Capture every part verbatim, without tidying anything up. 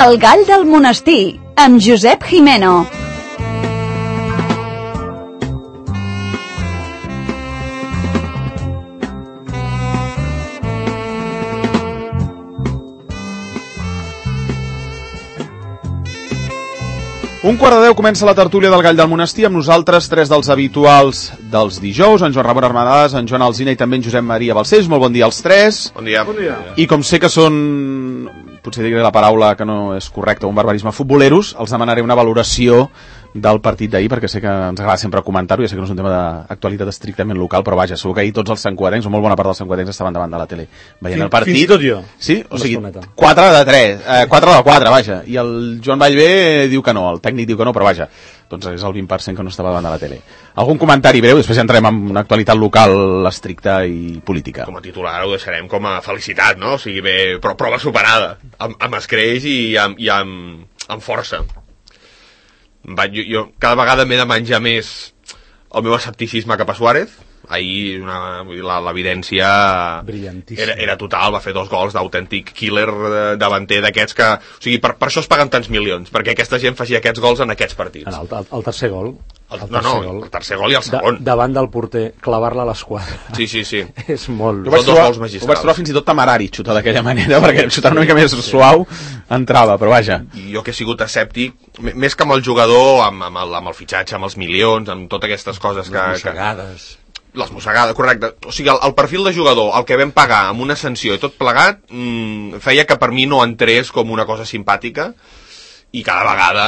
El gall del monestir, amb Josep Jimeno. Un quart de deu comença la tertúlia del Gall del Monestir amb nosaltres, tres dels habituals dels dijous, en Joan Ramon Armadades, en Joan Alsina i també en Josep Maria Balcells. Molt bon dia als tres. Bon dia. Bon dia. I com sé que són, potser diré la paraula que no és correcta, un barbarisme, futboleros, els demanaré una valoració del partit d'ahir, perquè sé que ens agrada sempre comentar-ho, ja sé que no és un tema d'actualitat estrictament local, però vaja, segur que ahir tots els santcugatencs, o molt bona part dels santcugatencs, estaven davant de la tele veient Fins, el partit. fins i tot jo. Sí? O sigui, quatre de tres, eh, quatre de quatre, vaja. I el Joan Vallvé diu que no, el tècnic diu que no, però vaja, doncs és el vint per cent que no estava davant de la tele. Algun comentari breu, després ja entrem en una actualitat local estricta i política. Com a titular ho deixarem com a felicitat, no? O sigui, bé, però prova superada, amb, amb escreix i amb, i amb, amb força. Va, jo, jo cada vegada m'he de menjar més el meu escepticisme cap a Suárez. Ahir una, la, l'evidència era, era total, va fer dos gols d'autèntic killer davanter d'aquests que... O sigui, per, per això es paguen tants milions, perquè aquesta gent faci aquests gols en aquests partits. En el, el, el tercer gol. El, el no, no, gol. el tercer gol i el segon. Da, davant del porter, clavar-la a l'esquadra. Sí, sí, sí. És molt... Ho vaig, trobar, ho vaig trobar fins i tot temerari, xutar d'aquella manera, perquè xutar una mica més suau entrava, però vaja. I jo que he sigut escèptic, més que amb el jugador, amb, amb, el, amb el fitxatge, amb els milions, amb totes aquestes coses que... Les mossegades. Que, les mossegades, correcte. O sigui, el, el perfil de jugador, el que vam pagar amb una sanció i tot plegat, mmm, feia que per mi no entrés com una cosa simpàtica, i cada vegada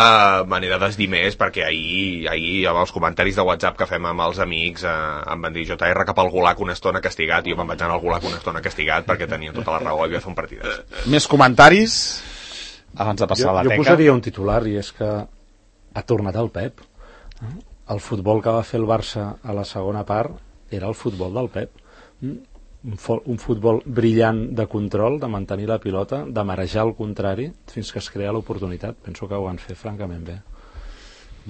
me n'he de desdir més, perquè ahir, ahir amb els comentaris de WhatsApp que fem amb els amics eh, em van dir J R cap al Gulag una estona castigat, i jo me'n vaig anar al Gulag una estona castigat perquè tenia tota la raó, havia de fer un partidàs. Més comentaris abans de passar jo, a la teca. Jo posaria un titular, i és que ha tornat el Pep. El futbol que va fer el Barça a la segona part era el futbol del Pep. Un, fo- un futbol brillant de control, de mantenir la pilota, de marejar al contrari fins que es crea l'oportunitat. Penso que ho van fer francament bé.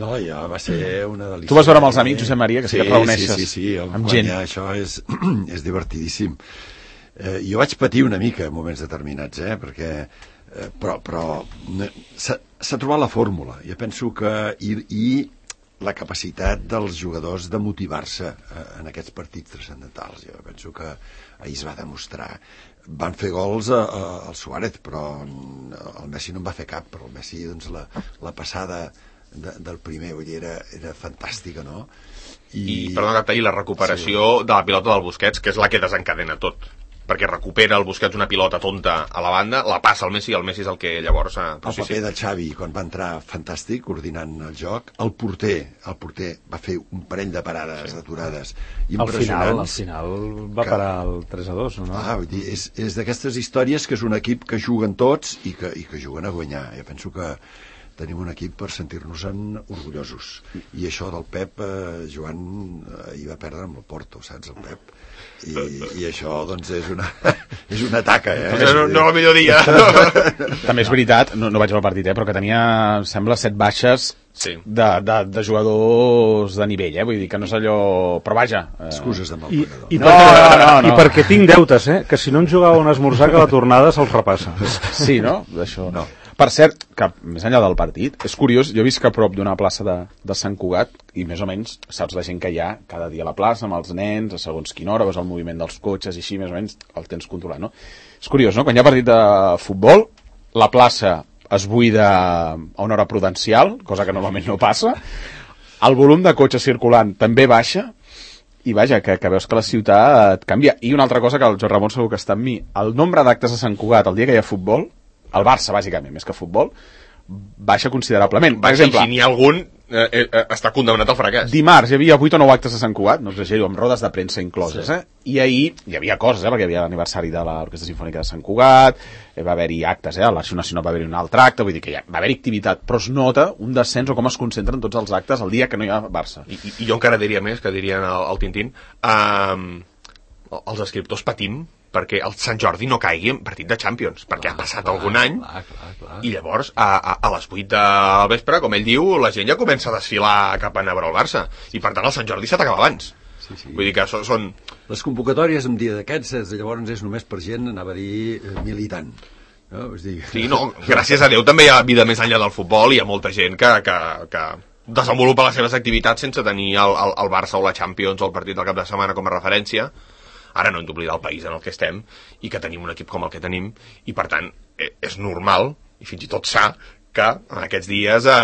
No, ja va ser una delícia. Tu vas veure amb els amics, Josep Maria, que sí, sí que et reuneixes sí, sí, sí, amb gent. Això és, és divertidíssim. Eh, jo vaig patir una mica en moments determinats, eh, perquè, eh, però, però s'ha, s'ha trobat la fórmula. Jo penso que... I, i la capacitat dels jugadors de motivar-se eh, en aquests partits transcendentals. Jo penso que ahir es va demostrar. Van fer gols a, a, al Suárez, però el Messi no en va fer cap, però el Messi, doncs, la, la passada de, del primer, vull dir, era, era fantàstica, no? I, I perdona que talli, la recuperació sí, de la pilota del Busquets, que és la que desencadena tot, perquè recupera el Busquets una pilota tonta a la banda, la passa al Messi, i el Messi és el que llavors... Eh, el paper sí, sí. de Xavi, quan va entrar fantàstic, coordinant el joc, el porter, el porter va fer un parell de parades sí. aturades impressionants. Al final, al final va que... parar el tres a dos, no? Ah, vull dir, és, és d'aquestes històries que és un equip que juguen tots i que, i que juguen a guanyar. Jo penso que tenim un equip per sentir-nos-en orgullosos. I això del Pep, eh, Joan, eh, hi va perdre amb el Porto, saps, el Pep? I, i això, doncs, és una, és una taca, eh? No, no el millor dia. També és veritat, no, no vaig al partit, eh, però que tenia, sembla, set baixes sí. de, de, de jugadors de nivell, eh? Vull dir que no és allò... Però vaja... Eh... Excuses de mal I, pagador. i, no, perquè, no, no, no. I perquè tinc deutes, eh? Que si no ens jugava un esmorzar, que la tornada se'ls repassa. Sí, no? D'això no. Per cert, que més enllà del partit, és curiós, jo he vist que a prop d'una plaça de, de Sant Cugat, i més o menys saps la gent que hi ha cada dia a la plaça, amb els nens, a segons quina hora, veus el moviment dels cotxes i així, més o menys el tens controlat, no? És curiós, no? Quan hi ha partit de futbol, la plaça es buida a una hora prudencial, cosa que normalment no passa, el volum de cotxes circulant també baixa, i vaja, que, que veus que la ciutat canvia. I una altra cosa que el Joan Ramon segur que està amb mi, el nombre d'actes a Sant Cugat el dia que hi ha futbol, el Barça, bàsicament, més que futbol, baixa considerablement. Per baixa, exemple, i si n'hi ha algun, eh, eh, està condemnat al fracàs. Dimarts hi havia vuit o nou actes a Sant Cugat, no exagero, amb rodes de premsa incloses, sí. eh? I ahir hi havia coses, eh? Perquè hi havia l'aniversari de l'Orquestra Simfònica de Sant Cugat, va haver-hi actes, eh? A l'Arxiu Nacional va haver-hi un altre acte, vull dir que ja va haver-hi activitat, però es nota un descens o com es concentren tots els actes el dia que no hi ha Barça. I, i, i jo encara diria més, que dirien el, el Tintín, um, els escriptors patim perquè el Sant Jordi no caigui en partit de Champions, perquè clar, ha passat clar, algun any clar, clar, clar. I llavors a, a, a les vuit del vespre, com ell diu, la gent ja comença a desfilar cap a anar a veure el Barça, i per tant el Sant Jordi s'ha d'acaba abans. Sí, sí. Vull dir que són, són... Les convocatòries un dia d'aquests, llavors és només per gent, anava a dir, militant. No? Us dic... Sí, no, gràcies a Déu també hi ha vida més enllà del futbol i hi ha molta gent que, que, que desenvolupa les seves activitats sense tenir el, el, el Barça o la Champions o el partit del cap de setmana com a referència. Ara no hem d'oblidar el país en el que estem i que tenim un equip com el que tenim i per tant és normal i fins i tot sa que en aquests dies eh,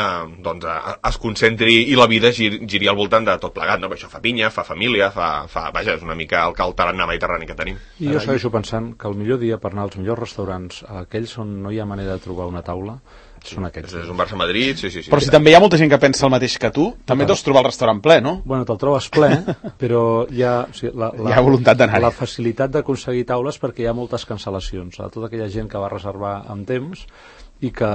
doncs, eh, es concentri i la vida giri, giri al voltant de tot plegat, no? Perquè això fa pinya, fa família, fa, fa vaja, és una mica el, el tarannà mediterrani que tenim. I jo segueixo pensant que el millor dia per anar als millors restaurants, aquells on no hi ha manera de trobar una taula, són aquests. És, és un Barça-Madrid, sí, sí, sí. Però si també hi ha molta gent que pensa el mateix que tu, també deus trobar el restaurant ple, no? Bueno, te'l trobes ple, però hi ha, o sigui, la, la, hi ha voluntat d'anar-hi. La facilitat d'aconseguir taules perquè hi ha moltes cancel·lacions. A tota aquella gent que va reservar amb temps i que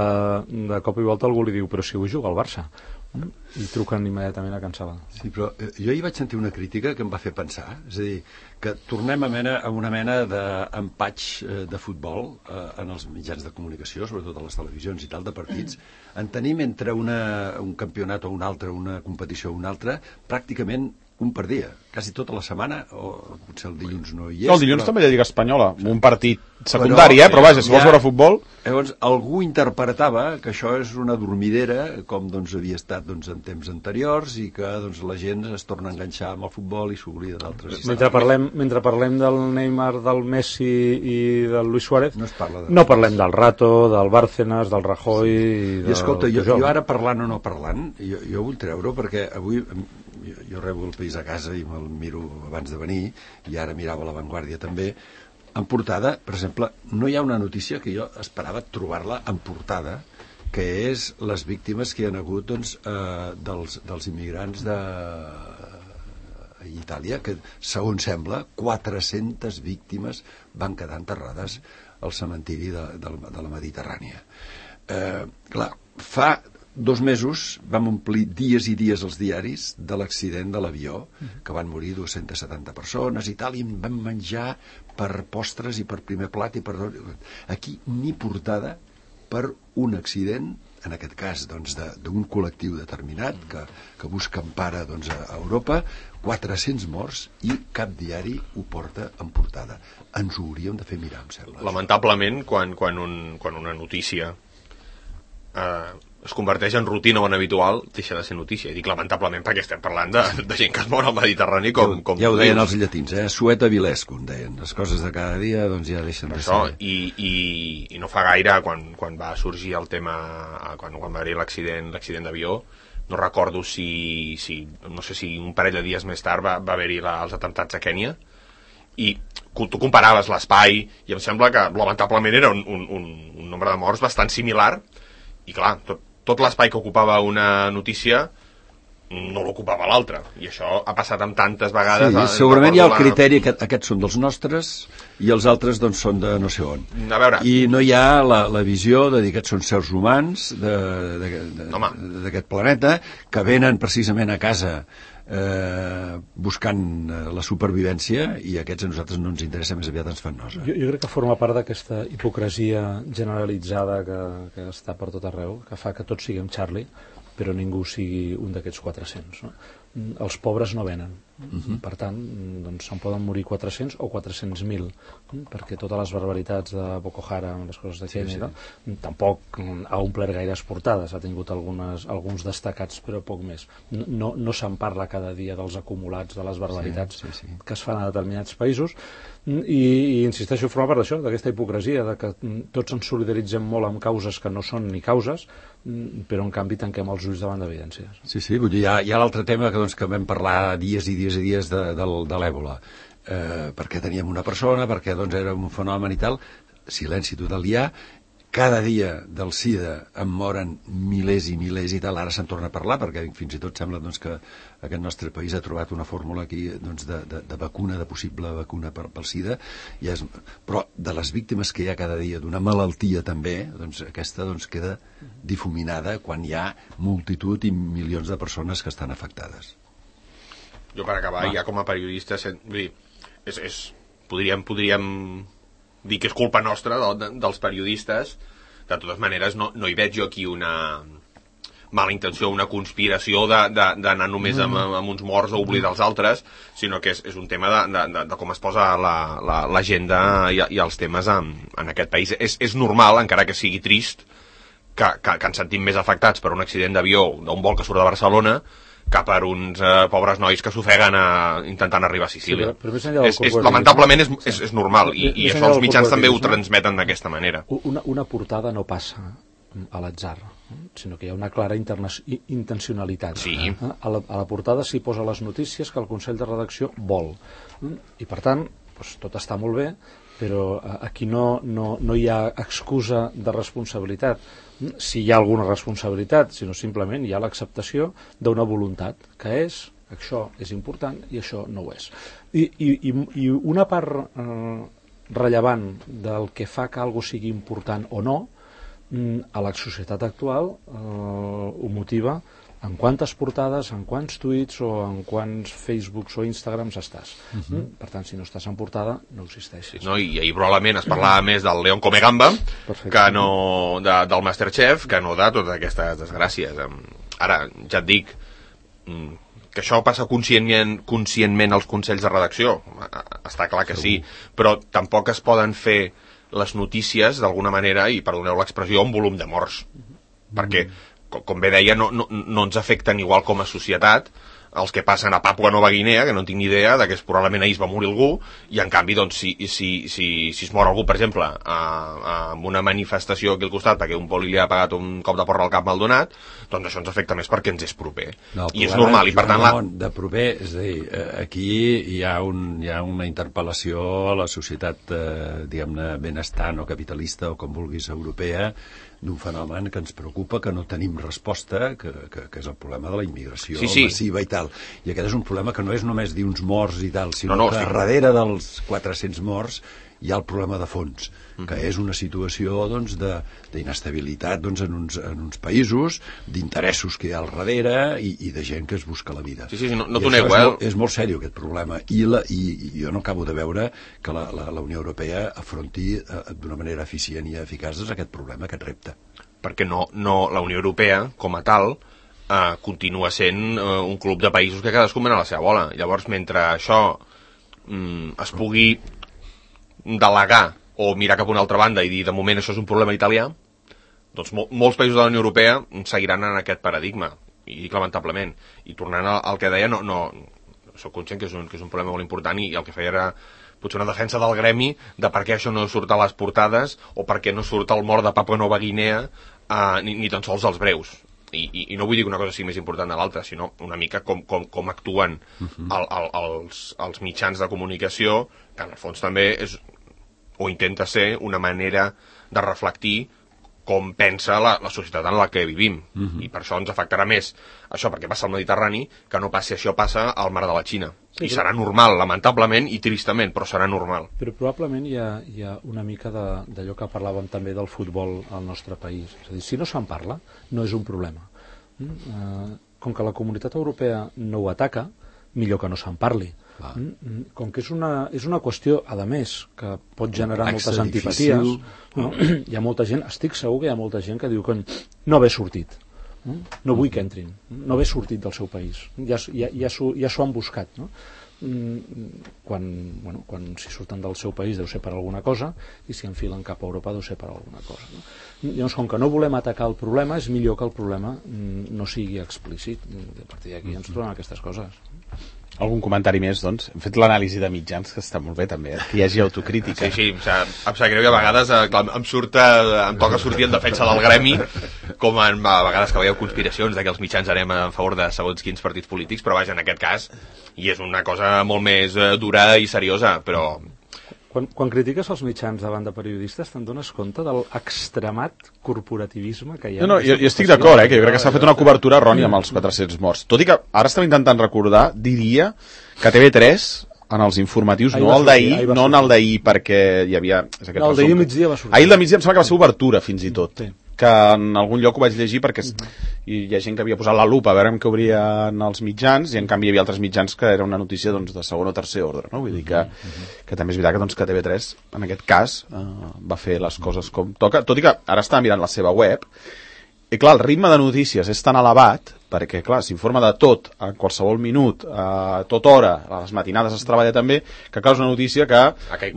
de cop i volta algú li diu però si avui juga al Barça i truquen immediatament a cancel·lar. Sí, però jo ahir vaig sentir una crítica que em va fer pensar, és a dir, que tornem a, mena, a una mena d'empatx de futbol eh, en els mitjans de comunicació, sobretot a les televisions i tal, de partits, en tenim entre una, un campionat o un altre, una competició o una altra, pràcticament un per dia, quasi tota la setmana, o potser el dilluns no hi és. No, el dilluns però... també hi ha Lliga Espanyola, un partit secundari, però, eh? Però vaja, si vols veure futbol... Llavors, algú interpretava que això és una dormidera, com doncs, havia estat doncs, en temps anteriors, i que doncs, la gent es torna a enganxar amb el futbol i s'oblida d'altres... Mentre parlem, mentre parlem del Neymar, del Messi i del Luis Suárez, no, es parla de no parlem del Rato, del Bárcenas, del Rajoy... Sí. I, del... I escolta, jo, jo ara parlant o no parlant, jo, jo vull treure perquè avui... Jo, jo rebo el País a casa i me'l miro abans de venir, i ara mirava La Vanguardia també. En portada, per exemple, no hi ha una notícia que jo esperava trobar-la en portada, que és les víctimes que hi ha hagut doncs, eh, dels, dels immigrants de Itàlia, que segons sembla quatre-centes víctimes van quedar enterrades al cementiri de, de, de la Mediterrània. Eh, clar, fa dos mesos vam omplir dies i dies els diaris de l'accident de l'avió, que van morir dues-centes setanta persones i tal, i en vam menjar per postres i per primer plat i per... Aquí ni portada per un accident, en aquest cas doncs, d'un col·lectiu determinat que, que busca empara doncs, a Europa, quatre-cents morts i cap diari ho porta en portada. Ens ho hauríem de fer mirar, em sembla. Lamentablement, quan, quan, un, quan una notícia eh, es converteix en rutina o en habitual, deixa de ser notícia. I dic lamentablement perquè estem parlant de, de gent que es mor al Mediterrani com, com ja ho deien els llatins, eh? Sueta vilescum, deien. Les coses de cada dia doncs ja deixen de això, ser. I, i, i no fa gaire, quan, quan va sorgir el tema, quan, quan va haver l'accident l'accident d'avió, no recordo si, si, no sé si un parell de dies més tard va, va haver-hi la, els atemptats a Kènia, i tu comparaves l'espai i em sembla que lamentablement era un, un, un, un nombre de morts bastant similar, i clar, tot tot l'espai que ocupava una notícia no l'ocupava l'altra, i això ha passat amb tantes vegades. Sí, segurament hi ha el criteri que aquests són dels nostres i els altres doncs són de no sé on. A veure. I no hi ha la, la visió de dir que aquests són sers humans d'aquest planeta que venen precisament a casa eh, buscant la supervivència, i aquests a nosaltres no ens interessa, més aviat ens fan nosa. Jo, jo crec que forma part d'aquesta hipocresia generalitzada que, que està per tot arreu, que fa que tots siguem Charlie, però ningú sigui un d'aquests quatre-cents. No? Els pobres no venen. Uh-huh. Per tant, doncs, se'n poden morir quatre-cents o quatre-cents mil, perquè totes les barbaritats de Boko Haram, les coses de Kenya, sí, sí. No? Tampoc ha omplert gaires portades, ha tingut algunes, alguns destacats, però poc més. No, no se'n parla cada dia dels acumulats, de les barbaritats sí, sí, sí. que es fan a determinats països, i, i insisteixo, forma part d'això, d'aquesta hipocresia, de que tots ens solidaritzem molt amb causes que no són ni causes, però en canvi tanquem els ulls davant d'evidències. Sí, sí, vull dir, hi ha, hi ha l'altre tema que, doncs, que vam parlar dies i dies i dies de, de, de l'èbola, eh, perquè teníem una persona, perquè doncs, era un fenomen i tal, silenci total hi ha, cada dia del SIDA en moren milers i milers i tal, ara se'n torna a parlar, perquè fins i tot sembla doncs, que aquest nostre país ha trobat una fórmula aquí doncs, de, de, de vacuna, de possible vacuna per, pel SIDA, i és, però de les víctimes que hi ha cada dia d'una malaltia també, doncs aquesta doncs, queda difuminada quan hi ha multitud i milions de persones que estan afectades. Jo per acabar, Va. ja com a periodista, vull dir, és, és, podríem, podríem dir que és culpa nostra de, de, dels periodistes. De totes maneres no, no hi veig jo aquí una mala intenció, una conspiració d'anar només amb, amb uns morts o oblidar els altres, sinó que és, és un tema de, de, de com es posa l'agenda la, la, i, i els temes en, en aquest país. És, és normal, encara que sigui trist, que, que, que ens sentim més afectats per un accident d'avió d'un vol que surt de Barcelona que per uns eh, pobres nois que s'ofeguen a, intentant arribar a Sicília. Sí, però, però és, és, lamentablement és, és, és normal, i, i això els mitjans també ho transmeten d'aquesta manera. Una, una portada no passa a l'atzar, sinó que hi ha una clara intencionalitat. Sí. A la, a la portada s'hi posa les notícies que el Consell de Redacció vol. I per tant, doncs, tot està molt bé, però aquí no, no, no hi ha excusa de responsabilitat. Si hi ha alguna responsabilitat, sinó simplement hi ha l'acceptació d'una voluntat, que és, això és important i això no ho és. I, i, i una part eh, rellevant del que fa que alguna cosa sigui important o no, a la societat actual eh, ho motiva en quantes portades, en quants tuits o en quants Facebooks o Instagrams estàs. Uh-huh. Per tant, si no estàs en portada, no existeixes. No, i ahir probablement es parlava uh-huh. més del León Comegamba que no de, del Masterchef, que no de totes aquestes desgràcies. Ara, ja et dic que això passa conscientment, conscientment als consells de redacció. Està clar que sí, però tampoc es poden fer les notícies, d'alguna manera, i perdoneu l'expressió, un volum de morts. Uh-huh. Perquè com bé deia, no, no, no ens afecten igual com a societat els que passen a Papua Nova Guinea, que no en tinc ni idea de que probablement ahir es va morir algú, i en canvi, doncs, si, si, si, si es mor algú, per exemple, a, a, amb una manifestació aquí al costat perquè un poli li ha pagat un cop de porra al cap mal donat, doncs això ens afecta més perquè ens és proper. No, I és normal, i per tant... La... De proper, és a dir, aquí hi ha, un, hi ha una interpel·lació a la societat, eh, diguem-ne, benestar no capitalista o com vulguis europea, d'un fenomen que ens preocupa, que no tenim resposta, que, que, que és el problema de la immigració sí, sí. massiva i tal. I aquest és un problema que no és només dir uns morts i tal, sinó no, no, que sí. darrere dels quatre-cents morts hi ha el problema de fons, mm-hmm. que és una situació doncs, d'inestabilitat doncs, en, uns, en uns països, d'interessos que hi ha al darrere i, i de gent que es busca la vida. Sí, sí, no, no t'ho nego, és, eh? molt, és molt seriós aquest problema i, la, i, i jo no acabo de veure que la, la, la Unió Europea afronti eh, d'una manera eficient i eficaç aquest problema, aquest repte. Perquè no, no, la Unió Europea, com a tal, eh, continua sent eh, un club de països que cadascú mena la seva bola. Llavors, mentre això mm, es pugui delegar o mirar cap a una altra banda i dir, de moment, això és un problema italià, doncs mol, molts països de la Unió Europea seguiran en aquest paradigma, i dic lamentablement. I tornant al, al que deia, no, no, soc conscient que és, un, que és un problema molt important i, i el que feia era potser una defensa del gremi de per què això no surt a les portades o per què no surt el mort de Papua Nova Guinea eh, ni, ni tan sols els breus. I, i, i no vull dir que una cosa sigui més important de l'altra, sinó una mica com, com, com actuen uh-huh. el, el, els, els mitjans de comunicació, que en el fons també és, o intenta ser una manera de reflectir com pensa la, la societat en la que vivim. Uh-huh. I per això ens afectarà més això perquè passa al Mediterrani que no passi això passa al mar de la Xina. Sí, I serà però... normal, lamentablement i tristament, però serà normal. Però probablement hi ha, hi ha una mica d'allò que parlàvem també del futbol al nostre país. És a dir, si no se'n parla, no és un problema. Mm? Uh, com que la comunitat europea no ho ataca, millor que no se'n parli. Ah. Mm? Com que és una, és una qüestió, a més, que pot generar moltes antipaties. No? Hi ha molta gent, estic segur que hi ha molta gent que diu que no haver sortit. No vull que entrin, no haver sortit del seu país, ja, ja, ja s'ho ja han buscat, no? Quan, bueno, quan si surten del seu país deu ser per alguna cosa i si enfilen cap a Europa deu ser per alguna cosa, no? Llavors, com que no volem atacar el problema, és millor que el problema no sigui explícit. A partir d'aquí ens trobem aquestes coses. Algun comentari més, doncs? Hem fet l'anàlisi de mitjans, que està molt bé, també, eh? Que hi hagi autocrítica. Sí, sí, em sap, em sap greu i a vegades eh, clar, em, surt, eh, em toca sortir en defensa del gremi, com en, a vegades que veieu conspiracions de que els mitjans anem a favor de segons quins partits polítics, però vaja, en aquest cas, i és una cosa molt més eh, dura i seriosa, però... Quan, quan critiques els mitjans davant de periodistes te'n dones compte de l'extremat corporativisme que hi ha? No, no, jo, jo estic d'acord, eh, que jo crec que s'ha fet una cobertura errònia amb els quatre-cents morts. Tot i que ara estem intentant recordar, diria que T V tres en els informatius, no el d'ahir, no en el d'ahir perquè hi havia... És aquest no, el d'ahir migdia va sortir. Ahir el de migdia em sembla que va ser obertura, fins i tot. Sí. Que en algun lloc ho vaig llegir perquè i hi ha gent que havia posat la lupa a veure amb què obrien els mitjans i en canvi hi havia altres mitjans que era una notícia doncs, de segon o tercer ordre, no? Vull dir que, que també és veritat que, doncs, que T V tres en aquest cas eh, va fer les coses com toca, tot i que ara estava mirant la seva web, I clar, el ritme de notícies és tan elevat, perquè clar, s'informa de tot, a qualsevol minut, a tota hora, a les matinades es treballa també, que clar, és una notícia que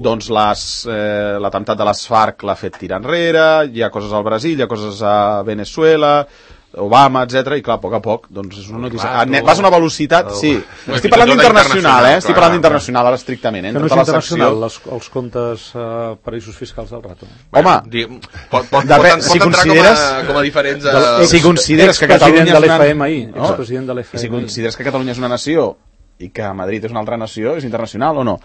doncs les, eh, l'atemptat de les FARC l'ha fet tirar enrere, hi ha coses al Brasil, hi ha coses a Venezuela, Obama, etcètera, i clar, a poc a poc, doncs és una notícia... Ah, vas a una velocitat, sí. Estic parlant d'internacional, eh? Estic parlant d'internacional, ara estrictament, eh? Que no és internacional, les, els comptes uh, paraïsos fiscals del rato. Home, pot, pot, pot, si pot entrar com a, com a diferents... Uh... Si consideres que Catalunya és una... Expresident de l'F M I. Si consideres que Catalunya és una nació i que Madrid és una altra nació, és internacional o no?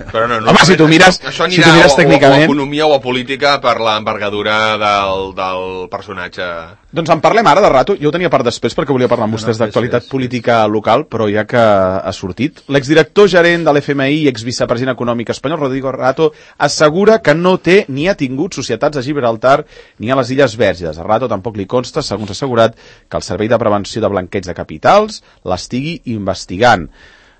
Però no, no home, si tu mires, això si tu mires o, tècnicament... o a economia o a política per l'envergadura del, del personatge. Doncs en parlem ara de rato, jo ho tenia per després perquè volia parlar amb vostès no, no, d'actualitat política local, però ja que ha sortit. L'exdirector gerent de l'F M I i exvicepresident econòmic espanyol, Rodrigo Rato, assegura que no té ni ha tingut societats a Gibraltar ni a les Illes Vèrgines. A Rato tampoc li consta, segons ha assegurat, que el Servei de Prevenció de Blanqueig de Capitals l'estigui investigant.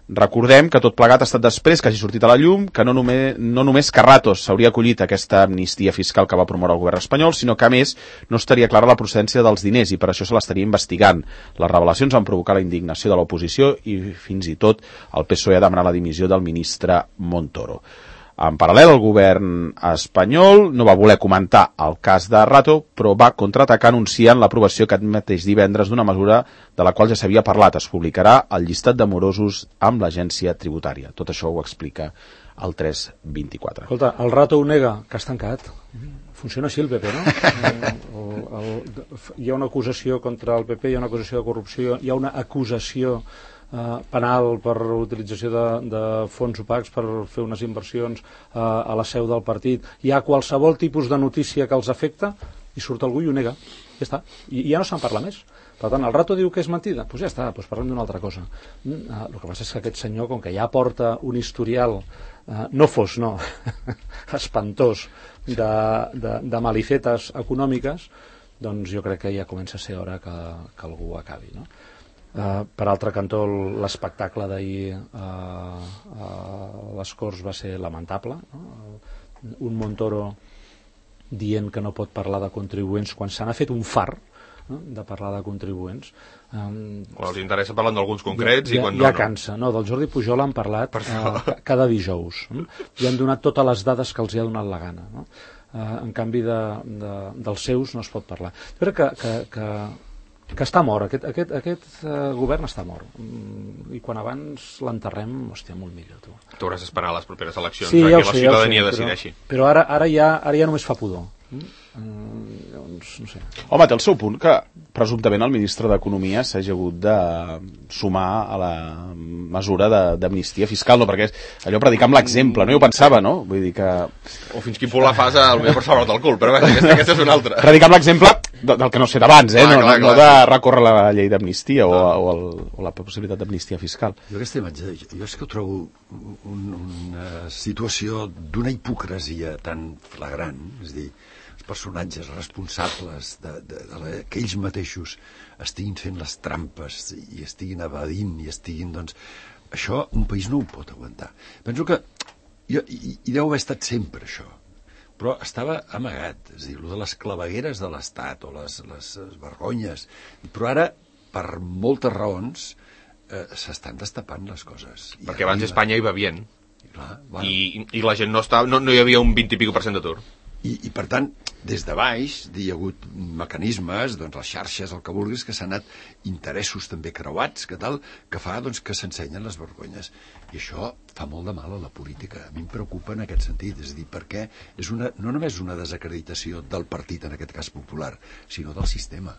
Recordem que tot plegat ha estat després que hagi sortit a la llum que no només, no només que Ratos s'hauria acollit a aquesta amnistia fiscal que va promoure el govern espanyol, sinó que a més no estaria clara la procedència dels diners i per això se l'estaria investigant. Les revelacions van provocar la indignació de l'oposició i fins i tot el P S O E ha demanat la dimissió del ministre Montoro. En paral·lel, el govern espanyol no va voler comentar el cas de Rato, però va contraatacar anunciant l'aprovació aquest mateix divendres d'una mesura de la qual ja s'havia parlat. Es publicarà el llistat de morosos amb l'agència tributària. Tot això ho explica el tres vint-i-quatre. Escolta, el Rato ho nega, que has tancat. Funciona així el P P, no? El, el, el, hi ha una acusació contra el P P, hi ha una acusació de corrupció, hi ha una acusació Uh, penal per utilització de, de fons opacs per fer unes inversions uh, a la seu del partit. Hi ha qualsevol tipus de notícia que els afecta i surt algú i ho nega. Ja està. I, i ja no se'n parla més. Per tant, el Rato diu que és mentida. Doncs pues ja està, doncs parlem d'una altra cosa. Uh, el que passa és que aquest senyor, com que ja porta un historial uh, no fos, no, espantós de, de, de malifetes econòmiques, doncs jo crec que ja comença a ser hora que, que algú acabi, no? Uh, per altre cantó, l'espectacle d'ahir uh, uh, a les Corts va ser lamentable, no? Un Montoro dient que no pot parlar de contribuents quan se n'ha fet un far, no? De parlar de contribuents. Um, o els interessa parlant d'alguns concrets ja, i quan ja, no, ja cansa, no? Del Jordi Pujol han parlat uh, cada dijous, no? I han donat totes les dades que els hi ha donat la gana, no? Uh, en canvi de, de, dels seus no es pot parlar. Jo crec que, que, que que està mort, aquest, aquest, aquest uh, govern està mort, mm, i quan abans l'enterrem, hòstia, molt millor, tu. Tu hauràs d'esperar a les properes eleccions, sí, ja que sé, la ciutadania ja sé, decideixi. Però, però ara, ara, ja, ara ja només fa pudor. Mm? Mm, doncs, no sé. Home, té el seu punt que presumptament el ministre d'Economia s'hagi hagut de sumar a la mesura d'amnistia fiscal, no? Perquè és allò predicar amb l'exemple, no? Jo pensava, no? Vull dir que... O fins quin punt la fas al millor per salvar-te el cul, però bé, aquesta, aquesta és una altra. Predicar amb l'exemple del que no sé d'abans, eh? Clar, no, clar, no, clar. no de recórrer la llei d'amnistia o, o, el, o la possibilitat d'amnistia fiscal. Jo aquesta imatge, jo és que ho trobo un, una situació d'una hipocresia tan flagrant, és a dir, els personatges responsables de, de, de la, que ells mateixos estiguin fent les trampes i estiguin evadint i estiguin, doncs, això un país no ho pot aguantar. Penso que jo, i, i deu haver estat sempre això, però estava amagat, és a dir, allò de les clavegueres de l'Estat o les, les, les vergonyes, però ara, per moltes raons, eh, s'estan destapant les coses. I perquè abans arriba... Espanya hi va bien, I, clar, bueno. I, i la gent no, estava, no, no hi havia un vint i pico per cent d'atur. I, I, per tant, des de baix hi ha hagut mecanismes, doncs les xarxes, el que vulguis, que s'han anat interessos també creuats, que tal, que fa doncs, que s'ensenyen les vergonyes. I això fa molt de mal a la política. A mi em preocupa en aquest sentit, és a dir, perquè és una, no només una desacreditació del partit, en aquest cas popular, sinó del sistema.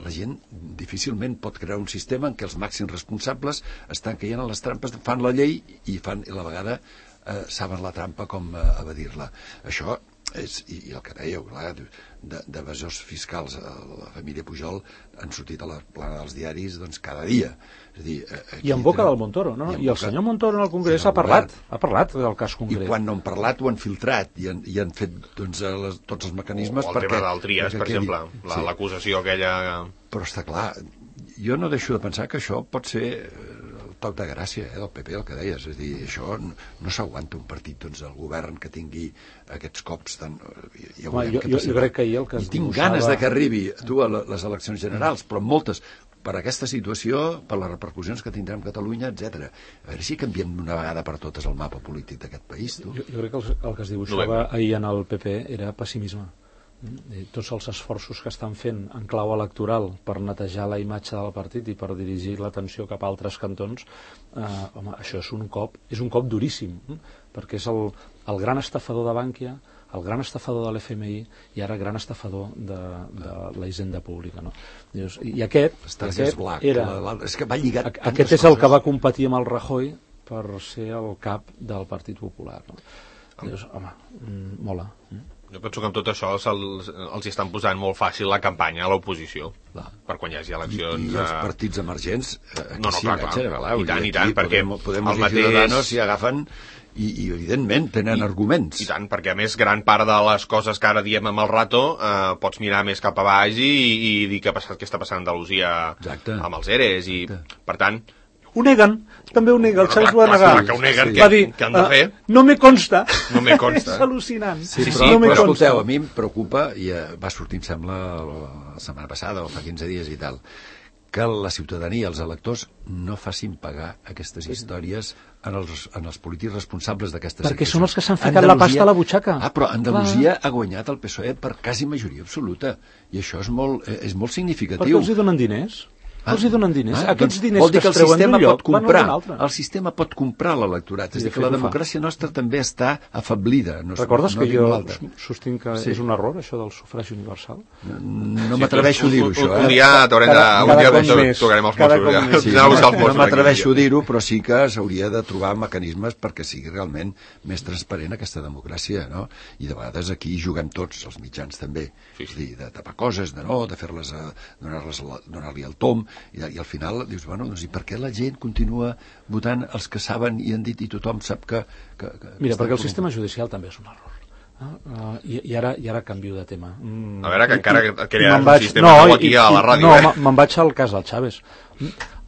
La gent difícilment pot crear un sistema en què els màxims responsables estan caient a les trampes, fan la llei i fan, i a la vegada eh, saben la trampa com eh, evadir-la. Això és, i, i el que dèieu, clar, d'evasors fiscals a la família Pujol han sortit a la plana dels diaris doncs cada dia. És a dir, I en boca del Montoro, no? I, I el boca... senyor Montoro en el Congrés ha parlat, ha parlat del cas concret. I quan no han parlat ho han filtrat i han, i han fet doncs, les, tots els mecanismes o el perquè... tema del Trias, per exemple, l'acusació sí. aquella... Però està clar, jo no deixo de pensar que això pot ser el toc de gràcia, eh, del P P, el que deies. És a dir, això no, no s'aguanta un partit, doncs, el govern que tingui aquests cops tan... Ja Home, jo, jo, jo crec que ahir el que es I tinc dibuixava... ganes de que arribi tu a les eleccions generals, però moltes, per aquesta situació, per les repercussions que tindrem a Catalunya, etcètera. A veure si canviem d'una vegada per totes el mapa polític d'aquest país, tu. Jo, jo crec que el, el que es dibuixava ahir en el P P era pessimisme. I tots els esforços que estan fent en clau electoral per netejar la imatge del partit i per dirigir l'atenció cap a altres cantons, eh, home, això és un cop és un cop duríssim, eh? perquè és el, el gran estafador de Bànquia, el gran estafador de l'F M I i ara gran estafador de, de la hisenda pública, no? Dius, i aquest, aquest Black, era la, la, és que va lligat aquest és el que va competir amb el Rajoy per ser el cap del Partit Popular, no? Dius, home, mm, mola. Jo penso que amb tot això els, els estan posant molt fàcil la campanya a l'oposició per quan hi hagi eleccions. I, i els partits emergents eh, aquí no, no, s'hi clar, enganxen, clar. I tant, i tant, perquè Podem, Podemos el mateix... Ciudadanos s'hi agafen i, i evidentment tenen I, arguments. I tant, perquè a més gran part de les coses que ara diem amb el rato eh, pots mirar més cap a baix i, i dir què, passa, què està passant a Andalusia Exacte. amb els E R E s i Exacte. per tant Ho neguen, també ho nega, el Chaves ho ha negat. Clar que ho neguen, Va dir, què han de fer? Uh, no me consta. No me consta. És al·lucinant. Sí, Sí, però, sí, no però però- escolteu, a mi em preocupa, i eh, va sortir, em sembla, la setmana passada o fa quinze dies i tal, que la ciutadania, els electors, no facin pagar aquestes històries en els, en els polítics responsables d'aquestes Perquè situacions. són els que s'han ficat la pasta a la butxaca. Ah, però Andalusia ha guanyat el P S O E per quasi majoria absoluta, i això és molt, eh, és molt significatiu. Perquè els hi donen diners. Ah, els hi donen diners. ah, Aquests doncs diners vol dir que que es el treuen sistema d'un lloc pot comprar, van a un altre. el sistema pot comprar l'electorat, és I de a dir, que fet la ho fa. democràcia nostra també està afablida. No, Recordes no que dic jo l'altra. sostinc que Sí. és un error, això del sufragi universal? No m'atreveixo a dir-ho, això. Un Eh? dia t'haurem de... Cada- Un cada dia cop més. tocarem els Cada Mossos. cop Ja. més. Sí, Anem a buscar els no Mossos m'atreveixo a aquí. dir-ho, però sí que s'hauria de trobar mecanismes perquè sigui realment més transparent aquesta democràcia, no? I de vegades aquí juguem tots, els mitjans també, Sí, sí. és a dir, de tapar coses, de no, de fer-les, a- donar-les la- donar-li el tom, i, i al final dius, bueno, doncs, i per què la gent continua votant els que saben i han dit i tothom sap que... que, que Mira, està perquè el corrompt? sistema judicial també és un error. Ah, uh, i, i, ara, I ara canvio de tema. Mm, A veure, que i- encara i- que i crearàs me'n un vaig- sistema nou aquí i- a la i- ràdio, No, eh? me- me'n vaig al cas del Chaves.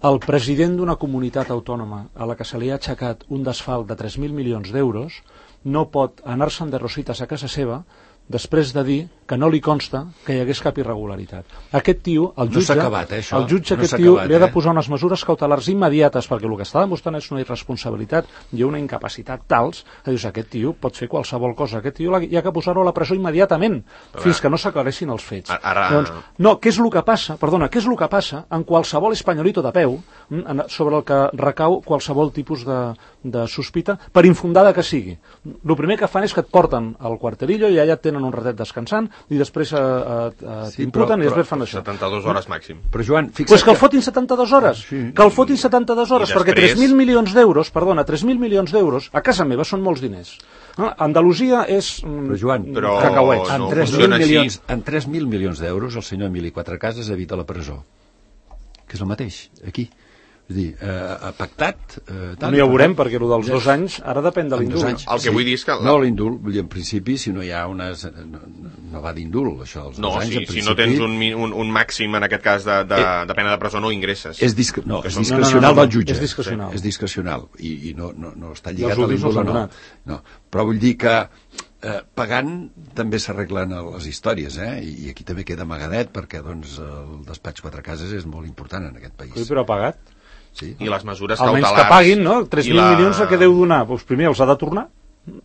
El president d'una comunitat autònoma a la que se li ha aixecat un desfalt de tres mil milions d'euros no pot anar-se'n de rosites a casa seva després de dir que no li consta que hi hagués cap irregularitat. Aquest tio, el No jutge, s'ha acabat, eh, això? el jutge No aquest s'ha tio acabat, li ha de eh? posar unes mesures cautelars immediates perquè el que està demostrant és una irresponsabilitat i una incapacitat tals que dius, aquest tio pot fer qualsevol cosa, aquest tio l'ha- hi ha que posar-lo a la presó immediatament fins que no s'aclareixin els fets. Ara- Doncs, no, què és el que passa? Perdona, què és el que passa en qualsevol espanyolito de peu mm, en- sobre el que recau qualsevol tipus de, de sospita, per infundada que sigui. El primer que fan és que et porten al quarterillo i allà et tenen un ratet descansant i després eh, eh, Sí, t'imputen però- i després però- fan això. setanta-dues hores màxim. Però, Joan, fixa't Pues que el fotin setanta-dues hores, Sí. que el fotin setanta-dues hores, I perquè després- tres mil milions d'euros, perdona, tres mil milions d'euros, a casa meva són molts diners. Ah, Andalusia és mm, Però, Joan, Però- cacauets. no en tres mil funciona així. milions, en tres mil milions d'euros el senyor Emili Quatrecases evita la presó, que és el mateix, aquí. És a dir, eh, pactat... Eh, No ja ho veurem, perquè el dels dos anys ara depèn de En dos l'indult. anys. El que vull dir és que... No, l'indult, vull dir, en principi, si no hi ha unes... No, no va d'indult, això, els No, dos anys, si, en si principi... no tens un, mi- un, un màxim, en aquest cas, de, de, Eh, de pena de presó, no ingresses. És, disc... no, Que és són- discrecional no, no, no, no, del jutge. és discrecional. Sí, és discrecional. I, i no, no, no està I lligat els a últims no l'indult, s'han no. donat. no. Però vull dir que eh, pagant també s'arreglen les històries, eh? I, I aquí també queda amagadet, perquè doncs, el despatx Quatrecases és molt important en aquest país. Sí, però ha pagat. Sí. I les mesures Almenys cautelars... que paguin, no? tres i mil la- milions a què deu donar? Doncs primer els ha de tornar,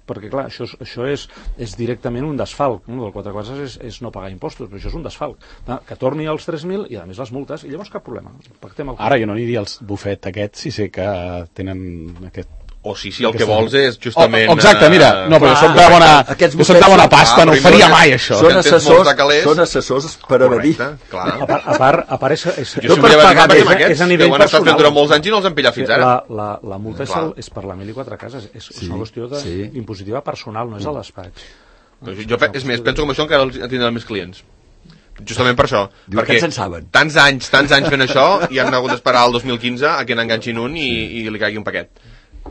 perquè clar, això, és, això és, és directament un desfalc, no? Del quatre coses és, és no pagar impostos, però això és un desfalc. Va, que torni els tres mil i a més les multes, i llavors cap problema. Pactem el... Ara jo no aniria als bufet aquests si sé que tenen aquest... O si, si el que vols és justament... Oh, exacte, mira, no, però jo soc de Clar, bona, aquests jo soc de bufets bona són- pasta, Ah, no ho però faria no- mai, això. Són que tens assessors, molts de calés. són assessors per evadir. Correcte, clar. A part, a part, a part és, és, Jo és, si volia per pagar pagar amb és, a- aquests, és a que nivell ho han estat fent personal. durant molts anys i no els han pillat fins ara. La, la, la multa és, Clar. el, és per la mil i quatre cases, és, és Sí, una qüestió de, sí. impositiva personal, no és al despatx. Però jo, pe- és més, penso que amb això encara els tindran més clients. Justament per això. Diu, perquè aquests en saben. tants anys, tants anys fent això i han hagut d'esperar el dos mil quinze a que n'enganxin un i, i li caigui un paquet.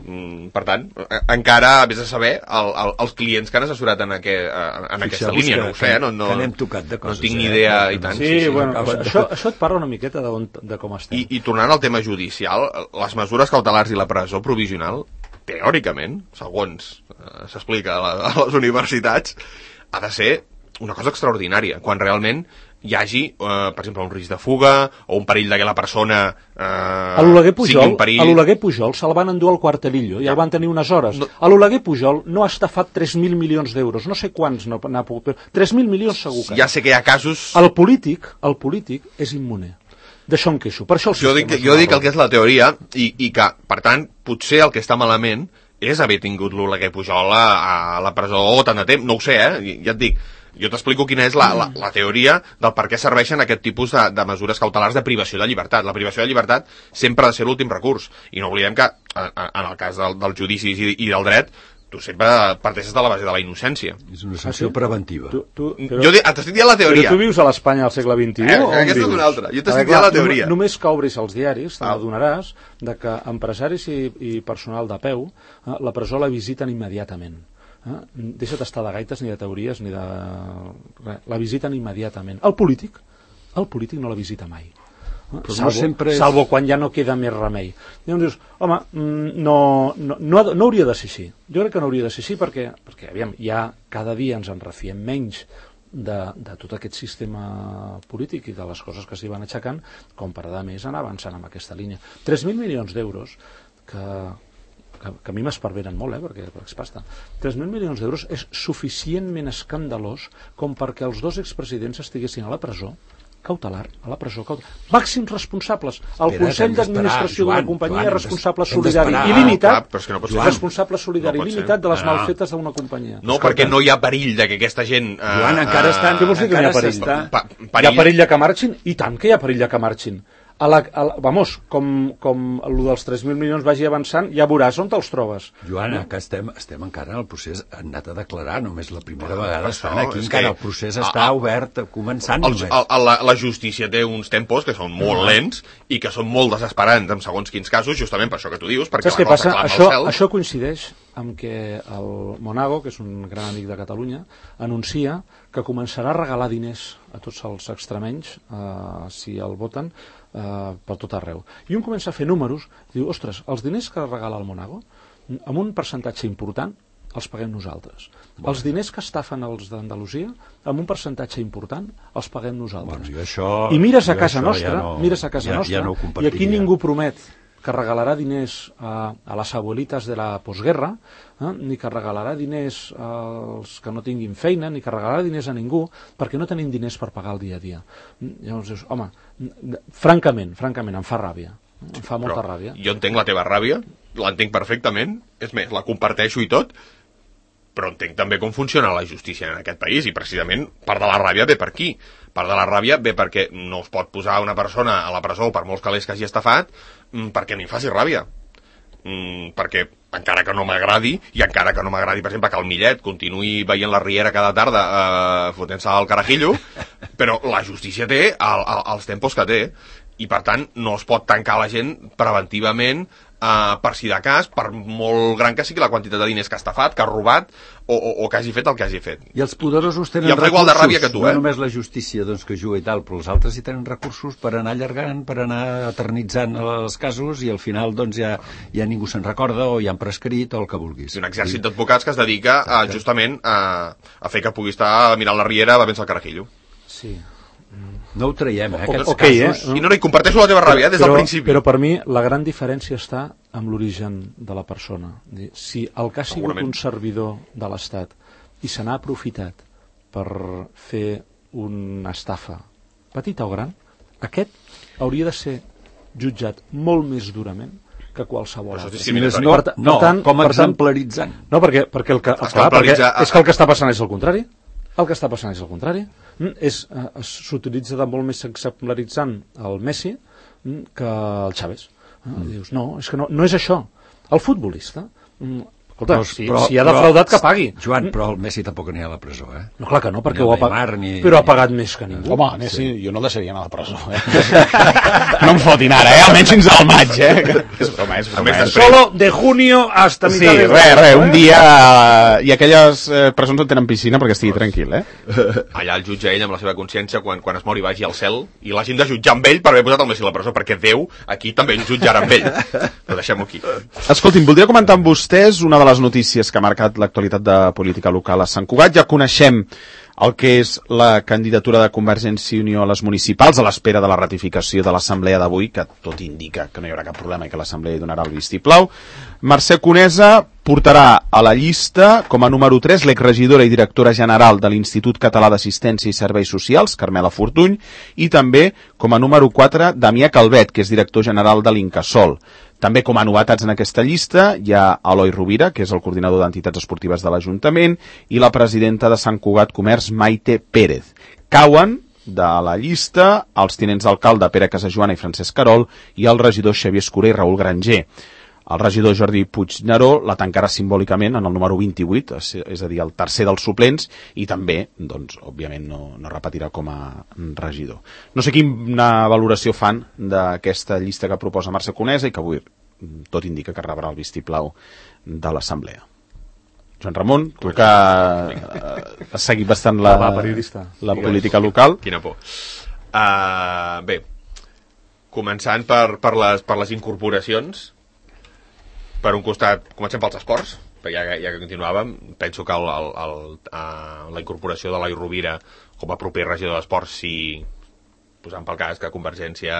Mm, per tant, encara vés a saber el, el, els clients que han assessorat en, aqu en aquesta línia, no ho sé, no, no, no tinc ni idea i tant. Sí, sí, sí, bueno, sí, això, això et parla una miqueta de, on, de com estem. I, I tornant al tema judicial, les mesures cautelars i la presó provisional, teòricament, segons eh, s'explica a, a les universitats, ha de ser una cosa extraordinària, quan realment hi hagi, eh, per exemple, un risc de fuga o un perill de que la persona eh, a l'Oleguer Pujol, a l'Oleguer Pujol se'l van endur al Quartelillo i ja. el van tenir unes hores. No. A l'Oleguer Pujol no ha estafat tres mil milions d'euros, no sé quants no n'ha pogut, però tres mil milions segur que. Ja sé que hi ha casos... El polític, el polític és immuner. D'això em queixo. Per això el jo dic, jo dic el que és la teoria i, i que, per tant, potser el que està malament és haver tingut l'Oleguer Pujol a, a la presó tant de temps. No ho sé, eh? Ja et dic. Jo t'explico quina és la, la, la teoria del per què serveixen aquest tipus de, de mesures cautelars de privació de llibertat. La privació de llibertat sempre ha de ser l'últim recurs. I no oblidem que, en el cas del, dels judicis i, i del dret, tu sempre parteixes de la base de la innocència. És una sanció ah, sí? preventiva. Tu, tu, però, jo t'estic dient la teoria. Però tu vius a l'Espanya al segle vint-i-u? Eh, aquesta és una altra. Jo t'estic dient la teoria. Només que obris els diaris, te n'adonaràs de que empresaris i, i personal de peu eh, la presó la visiten immediatament. Eh? Deixa't estar de gaites ni de teories ni de... Res. La visiten immediatament. El polític, el polític no la visita mai. Eh? Salvo, no sempre és... salvo quan ja no queda més remei. Llavors dius, home, no, no, no, no hauria de ser així. Jo crec que no hauria de ser així perquè, perquè aviam, ja cada dia ens en refiem menys de, de tot aquest sistema polític i de les coses que s'hi van aixecant com per a més anar avançant amb aquesta línia. tres mil milions d'euros que... Que, que a mi m'esparveren molt, eh, perquè, perquè és pasta. tres mil milions d'euros és suficientment escandalós com perquè els dos expresidents estiguessin a la presó cautelar, a la presó cautelar. Màxims responsables. El Espera, Consell d'Administració d'una companyia és responsable solidari il·limitat, ah, no Joan, responsable solidari no il·limitat de les no. malfetes d'una companyia. No, Escolta. perquè no hi ha perill de que aquesta gent... Uh, Joan, encara estan... Què vols dir que hi ha perill? Pa, perill? Hi ha perill de que marxin? I tant que hi ha perill de que marxin. A la, a la, vamos, com, com el dels tres mil milions vagi avançant, ja veuràs on te'ls trobes. Joana, no? que estem, estem encara en el procés, han anat a declarar, només la primera bueno, vegada estan aquí, encara el procés està a, obert, començant el, només. El, la, la justícia té uns tempos que són molt no. lents i que són molt desesperants en segons quins casos, justament per això que tu dius, perquè saps què passa? Això, això coincideix amb que el Monago, que és un gran amic de Catalunya, anuncia que començarà a regalar diners a tots els extremenys, eh, si el voten, eh, per tot arreu. I un comença a fer números, i diu, ostres, els diners que regala el Monago, amb un percentatge important, els paguem nosaltres. Bueno. Els diners que estafen els d'Andalusia, amb un percentatge important, els paguem nosaltres. Bueno, això, I mires a casa nostra, ja no, mires a casa ja, nostra, ja no i aquí ningú promet que regalarà diners a, a les abuelites de la postguerra, eh? ni que regalarà diners als que no tinguin feina, ni que regalarà diners a ningú, perquè no tenim diners per pagar el dia a dia. Llavors dius, home, francament, francament, em fa ràbia. Em fa molta Però ràbia. Jo entenc la teva ràbia, l'entenc perfectament, és més, la comparteixo i tot, però entenc també com funciona la justícia en aquest país, i precisament part de la ràbia ve per aquí. Part de la ràbia ve perquè no es pot posar una persona a la presó per molts calés que hagi estafat, perquè a mi em faci ràbia. Mm, perquè encara que no m'agradi, i encara que no m'agradi, per exemple, que el Millet continuï veient la Riera cada tarda eh, fotent-se al carajillo, però la justícia té el, el, els tempos que té, i per tant no es pot tancar la gent preventivament eh, per si de cas, per molt gran que sigui la quantitat de diners que ha estafat, que ha robat, o, o, o que hagi fet el que hagi fet. I els poderosos tenen recursos, igual de ràbia que tu, eh? no només la justícia doncs, que juga i tal, però els altres hi tenen recursos per anar allargant, per anar eternitzant els casos, i al final doncs, ja, ja ningú se'n recorda, o ja han prescrit, o el que vulguis. Un exèrcit d'advocats que es dedica a, justament a, a fer que pugui estar mirant la Riera bevent-se el carajillo. Sí. No ho traiem, eh, aquests okay, casos. Eh? I no, no, i comparteixo la teva ràbia des del però, principi. Però per mi la gran diferència està amb l'origen de la persona. Si el que ha sigut un servidor de l'Estat i se n'ha aprofitat per fer una estafa, petita o gran, aquest hauria de ser jutjat molt més durament que qualsevol altre. No, per, no, per tant, com exemplaritzant. No, perquè, perquè, el que, clar, perquè és que el que està passant és el contrari. El que està passant és el contrari. S'utilitza de molt més exemplaritzant el Messi que el Chávez. Mm. Dius, no, és que no, no és això. El futbolista, Escolta, no, si, però, si ha defraudat, que pagui. Joan, però el Messi tampoc n'hi ha a la presó, eh? No, clar que no, perquè ni ho ha pagat, ni... però ha pagat més que ningú. Home, Messi, sí. Jo no el deixaria anar a la presó, eh? No em fotin ara, eh? Almenys fins al maig, eh? És broma, és broma. Eh? Solo de junio hasta mitad sí, de... Sí, res, res, un dia... I aquelles eh, presons on tenen piscina perquè estigui tranquil, eh? Allà el jutge ell amb la seva consciència quan, quan es mori vagi al cel i l'hagin de jutjar amb ell per haver posat el Messi a la presó, perquè Déu aquí també el jutjarà amb ell. Però deixem-ho aquí. Escolti'm, voldria comentar amb vostès una de les notícies que ha marcat l'actualitat de política local a Sant Cugat. Ja coneixem el que és la candidatura de Convergència i Unió a les municipals a l'espera de la ratificació de l'assemblea d'avui, que tot indica que no hi haurà cap problema i que l'assemblea hi donarà el vistiplau. Mercè Conesa portarà a la llista com a número tres l'exregidora i directora general de l'Institut Català d'Assistència i Serveis Socials, Carmela Fortuny, i també com a número quatre Damià Calvet, que és director general de l'Incasòl. També com a novetats en aquesta llista hi ha Eloi Rovira, que és el coordinador d'entitats esportives de l'Ajuntament, i la presidenta de Sant Cugat Comerç, Maite Pérez. Cauen de la llista els tinents d'alcalde Pere Casajoana i Francesc Carol i el regidor Xavier Escura i Raül Granger. El regidor Jordi Puigneró la tancarà simbòlicament en el número vint-i-vuit, és a dir, el tercer dels suplents, i també, doncs, òbviament, no, no repetirà com a regidor. No sé quina valoració fan d'aquesta llista que proposa Mercè Conesa i que avui tot indica que rebrà el vistiplau de l'assemblea. Joan Ramon, tu que has seguit bastant la, la política local. Quina por. Uh, bé, començant per, per, les, per les incorporacions. Per un costat, comencem pels esports, perquè ja, ja que continuàvem, penso que el, el, el, uh, la incorporació de l'Eloi Rovira com a proper regidor d'esports, si posant pel cas que Convergència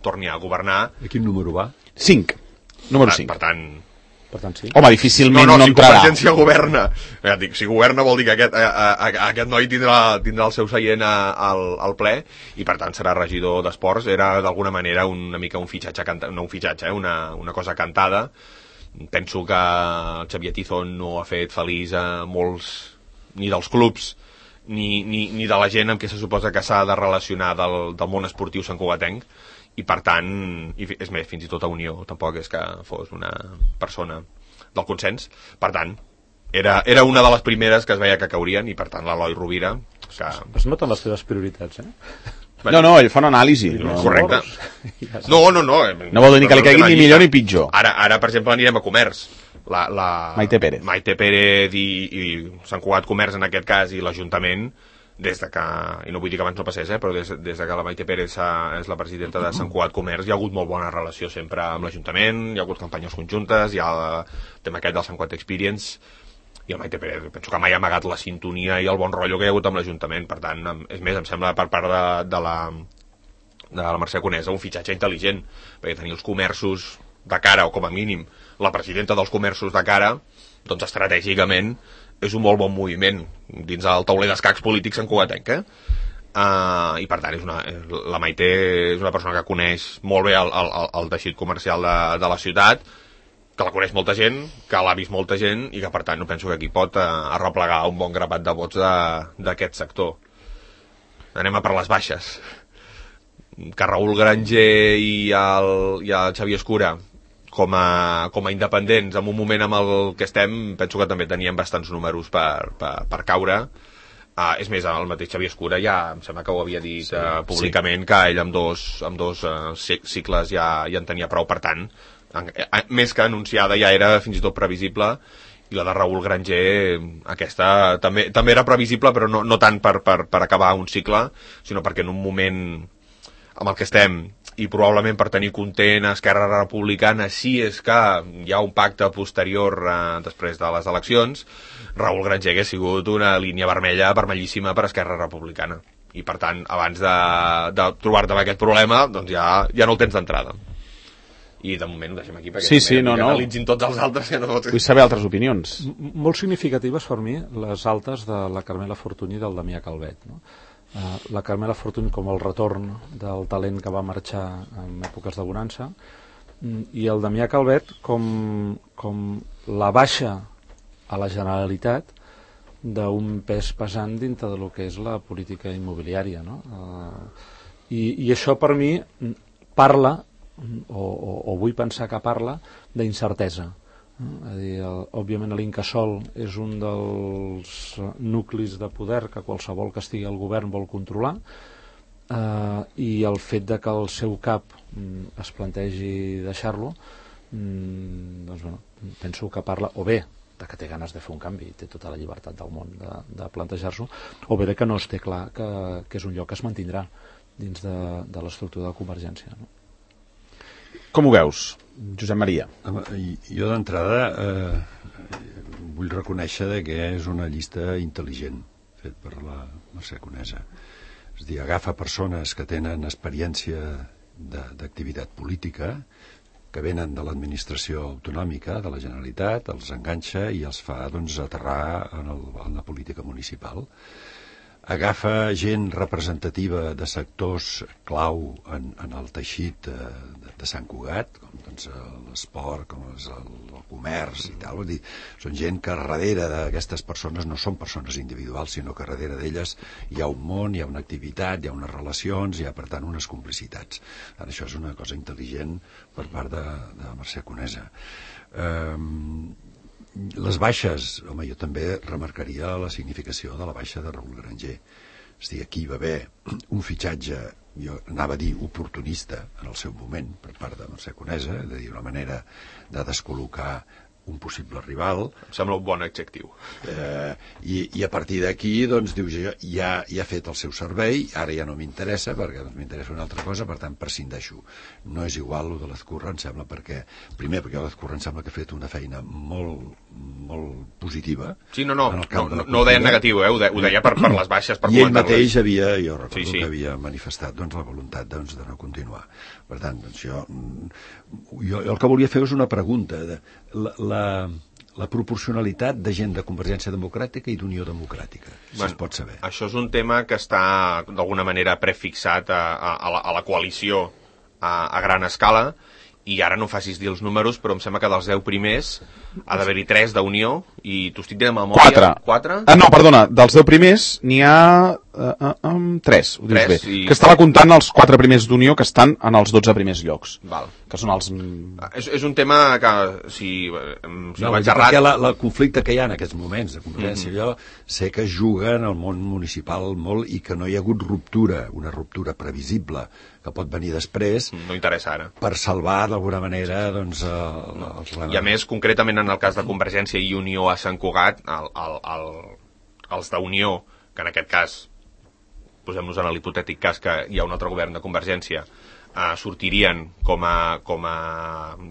torni a governar... A quin número va? cinc. Número cinc. Per tant... Per tant, sí. Home, difícilment no, no, no si entrarà. Si Convergència governa, ja dic, si governa vol dir que aquest, a, a, a, aquest noi tindrà, tindrà el seu seient a, al, al ple i per tant serà regidor d'esports. Era d'alguna manera una mica un fitxatge, canta, no un fitxatge, eh, una, una cosa cantada. Penso que el Xavier Tizón no ha fet feliç a molts, ni dels clubs, ni, ni, ni de la gent amb què se suposa que s'ha de relacionar del, del món esportiu santcugatenc, i per tant, i és més, fins i tot a Unió, tampoc és que fos una persona del consens, per tant, era, era una de les primeres que es veia que caurien, i per tant l'Eloi Rovira... Que... Es noten les teves prioritats, eh? No, no, ell fa una anàlisi. No, correcte. No, no, no. No vol dir ni que li caigui ni millor ni pitjor. Ara, ara per exemple, anirem a Comerç. La, la... Maite Pérez. Maite Pérez i, i Sant Cugat Comerç, en aquest cas, i l'Ajuntament, des de que, i no vull dir que abans no passés, eh, però des, des de que la Maite Pérez és la presidenta de Sant Cugat Comerç, hi ha hagut molt bona relació sempre amb l'Ajuntament, hi ha hagut campanyes conjuntes, hi ha el tema aquest del Sant Cugat Experience, i el Maite Pérez, penso que mai ha amagat la sintonia i el bon rotllo que hi ha hagut amb l'Ajuntament. Per tant, és més, em sembla per part de, de la de la Mercè Conesa un fitxatge intel·ligent, perquè tenir els comerços de cara, o com a mínim la presidenta dels comerços de cara, doncs estratègicament és un molt bon moviment dins el tauler d'escacs polítics santcugatenc, eh? Uh, i per tant és una, la Maite és una persona que coneix molt bé el, el, el teixit comercial de, de la ciutat, que la coneix molta gent, que l'ha vist molta gent i que per tant no penso que aquí pot eh, arreplegar un bon grapat de vots d'aquest sector. Anem a per les baixes. Que Raül Granger i el, i el Xavier Escura com a, com a independents en un moment amb el que estem, penso que també tenien bastants números per, per, per caure. Uh, és més, el mateix Xavier Escura ja em sembla que ho havia dit sí, uh, públicament, sí. Que ell amb dos, amb dos uh, cicles ja, ja en tenia prou, per tant més que anunciada ja era fins i tot previsible, i la de Raül Granger aquesta també, també era previsible, però no, no tant per, per, per acabar un cicle, sinó perquè en un moment amb el que estem i probablement per tenir content a Esquerra Republicana, si és que hi ha un pacte posterior eh, després de les eleccions, Raül Granger hagués sigut una línia vermella, vermellíssima per Esquerra Republicana, i per tant abans de, de trobar-te amb aquest problema doncs ja, ja no el tens d'entrada. I de moment ho deixem aquí perquè sí, sí, no, no. analitzin tots els altres que no... Vull saber altres opinions. M molt significatives per mi les altes de la Carmela Fortuny i del Damià Calvet, no? Uh, la Carmela Fortuny com el retorn del talent que va marxar en èpoques de bonança, i el Damià Calvet com, com la baixa a la Generalitat d'un pes pesant dintre de lo que és la política immobiliària, no? Uh, i, i això per mi parla O, o, o vull pensar que parla d'incertesa És a dir, el, òbviament l'Incasòl és un dels nuclis de poder que qualsevol que estigui al govern vol controlar, eh, i el fet de que el seu cap mm, es plantegi deixar-lo, mm, doncs bueno, penso que parla o bé de que té ganes de fer un canvi i té tota la llibertat del món de, de plantejar-s'ho, o bé de que no es té clar que, que és un lloc que es mantindrà dins de, de l'estructura de Convergència, no? Com ho veus, Josep Maria? Home, jo d'entrada eh, vull reconèixer que és una llista intel·ligent fet per la Mercè Conesa. És a dir, agafa persones que tenen experiència d'activitat política, que venen de l'administració autonòmica de la Generalitat, els enganxa i els fa doncs, aterrar en, el, en la política municipal. Agafa gent representativa de sectors clau en, en el teixit de, de, de Sant Cugat, com doncs, l'esport, com és el, el comerç i tal. Vull dir, són gent que darrere d'aquestes persones no són persones individuals, sinó que darrere d'elles hi ha un món, hi ha una activitat, hi ha unes relacions, hi ha, per tant, unes complicitats. Tant, això és una cosa intel·ligent per part de, de Mercè Conesa. Um, Les baixes, home, jo també remarcaria la significació de la baixa de Raül Granger. És a dir, aquí va haver un fitxatge, jo anava a dir oportunista en el seu moment, per part de Mercè Conesa, és a dir, una manera de descol·locar un possible rival. Em sembla un bon adjectiu. Eh, i, I a partir d'aquí, doncs, diu, ja, ja, ja ha fet el seu servei, ara ja no m'interessa, perquè doncs, m'interessa una altra cosa, per tant, prescindeixo. No és igual el de l'Ezcurra, em sembla, perquè, primer, perquè l'Ezcurra em sembla que ha fet una feina molt, molt positiva. Sí, no, no, no, no, no ho deia en negatiu, eh? ho, de, ho deia per, per les baixes, per I ell mateix havia, jo recordo sí, sí. que havia manifestat doncs, la voluntat doncs, de no continuar. Per tant, doncs, jo, jo el que volia fer és una pregunta. De, la, la, la proporcionalitat de gent de Convergència Democràtica i d'Unió Democràtica, si bueno, es pot saber. Això és un tema que està d'alguna manera prefixat a, a, a, la, a la coalició a, a gran escala, i ara no em facis dir els números, però em sembla que dels deu primers ha d'haver-hi tres d'Unió, i t'ho estic dient de memòria. Quatre. Quatre? Ah, no, perdona, dels deu primers n'hi ha uh, uh, um, tres, ho dius tres, bé. I... Que estava comptant els quatre primers d'Unió que estan en els dotze primers llocs. Val. Que són els... És, és un tema que, si, si no, vaig errat... Perquè la, la conflicte que hi ha en aquests moments de Convergència, mm-hmm. jo sé que juga en el món municipal molt i que no hi ha hagut ruptura, una ruptura previsible, que pot venir després... No interessa ara. Per salvar, d'alguna manera, doncs... El, no. els... I a més, concretament en el cas de Convergència i Unió a Sant Cugat, el, el, el, els d'Unió, que en aquest cas, posem-nos en l'hipotètic cas que hi ha un altre govern de Convergència, eh, sortirien com a, com a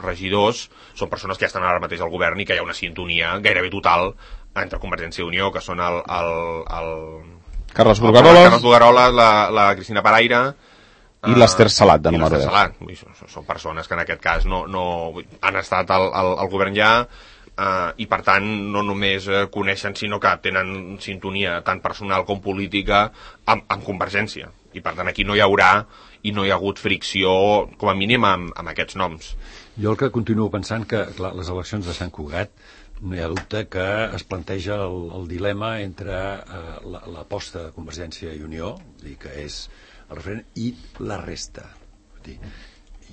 regidors, són persones que ja estan ara mateix al govern i que hi ha una sintonia gairebé total entre Convergència i Unió, que són el... el, el Carles Bulgaroles, Carles Bulgaroles, la, la Cristina Paraire, i l'Ester Salat, de número deu. Salat. Són persones que en aquest cas no, no han estat al, al, al govern ja, uh, i per tant no només uh, coneixen, sinó que tenen sintonia tant personal com política amb, amb Convergència. I per tant aquí no hi haurà i no hi ha hagut fricció, com a mínim, amb, amb aquests noms. Jo el que continuo pensant que clar, les eleccions de Sant Cugat no hi ha dubte que es planteja el, el dilema entre uh, l'aposta de Convergència i Unió, i que és el referent, i la resta. Dir,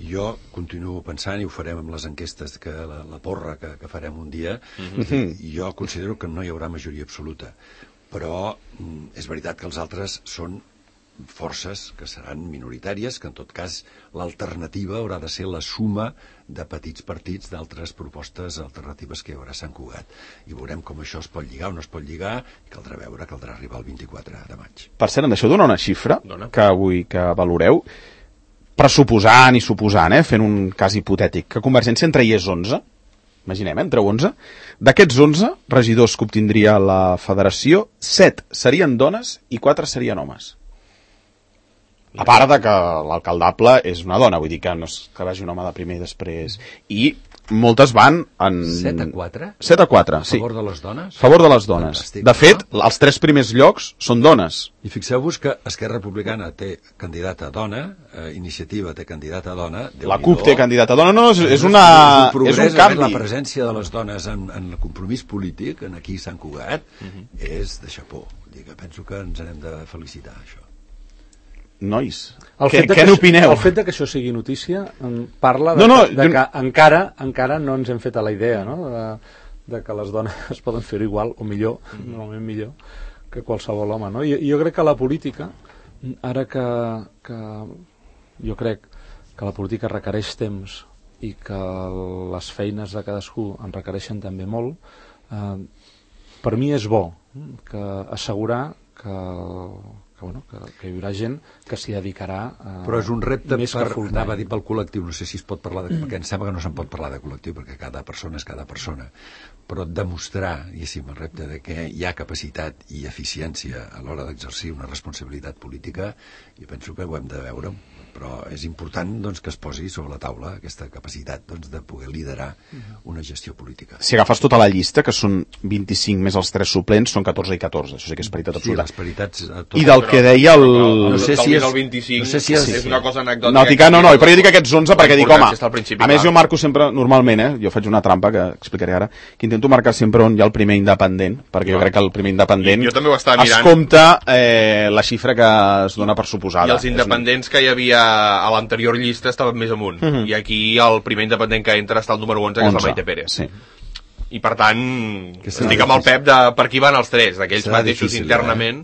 jo continuo pensant, i ho farem amb les enquestes, que la, la porra que, que farem un dia, mm-hmm. jo considero que no hi haurà majoria absoluta, però mm, és veritat que els altres són forces que seran minoritàries, que en tot cas l'alternativa haurà de ser la suma de petits partits d'altres propostes alternatives que hi haurà a Sant Cugat. I veurem com això es pot lligar o no es pot lligar, i caldrà veure, caldrà arribar al vint-i-quatre de maig. Per cert, em deixeu donar una xifra Dona. que vull que valoreu, pressuposant i suposant, eh, fent un cas hipotètic, que Convergència en tragués onze, imaginem, eh, en treu onze, d'aquests onze regidors que obtindria la federació, set serien dones i quatre serien homes. A part de que l'alcaldable és una dona, vull dir que no és que vagi un home de primer i després. I moltes van en... set a quatre? set a quatre, sí. A favor de les dones? A favor de les dones. Fantàstic, de fet, no? Els tres primers llocs són dones. I fixeu-vos que Esquerra Republicana té candidata a dona, eh, Iniciativa té candidata a dona... La CUP té candidata a dona, no, és, és, una, és, un progrés, és un canvi. La presència de les dones en, en el compromís polític, en aquí Sant Cugat, uh-huh. és de xapó. Vull dir que penso que ens n'hem de felicitar, això. nois, El què, fet de què que, n'opineu? El fet de que això sigui notícia em parla de, No, no, que, de jo- que encara, encara no ens hem fet a la idea, no?, de, de que les dones poden fer-ho igual, o millor, normalment millor, que qualsevol home, no? I jo crec que la política, ara que, que jo crec que la política requereix temps i que les feines de cadascú en requereixen també molt, eh, per mi és bo que assegurar que, que, bueno, que, que hi haurà gent que s'hi dedicarà eh, Però és un repte més per, que full anava a time. dir, pel col·lectiu, no sé si es pot parlar de... perquè em sembla que no se'n pot parlar de col·lectiu, perquè cada persona és cada persona, però demostrar, diguéssim, el repte de que hi ha capacitat i eficiència a l'hora d'exercir una responsabilitat política, jo penso que ho hem de veure, però és important doncs, que es posi sobre la taula aquesta capacitat doncs, de poder liderar una gestió política. Si agafes tota la llista, que són vint-i-cinc més els tres suplents, són catorze i catorze, això sí que és paritat Sí, absoluta. les paritats... eh, tot- I del que deia el... No sé el si és- el vint-i-cinc no sé si és- és una cosa anecdòtica. Nòtica, no, no, però jo dic aquests onze perquè dic, home, Està al principi, a més clar. jo marco sempre, normalment, eh, jo faig una trampa que explicaré ara, que intento marcar sempre on hi ha el primer independent, perquè jo Clar. crec que el primer independent Jo també ho estava es mirant. compta eh, la xifra que es dona per suposada. I els independents que hi havia a l'anterior llista estaven més amunt. Mhm. I aquí el primer independent que entra està al número onze, que és la onze, Maite Pérez. sí. I per tant, Que serà estic amb el Pep de per qui van els tres, d'aquells Serà mateixos difícil, internament.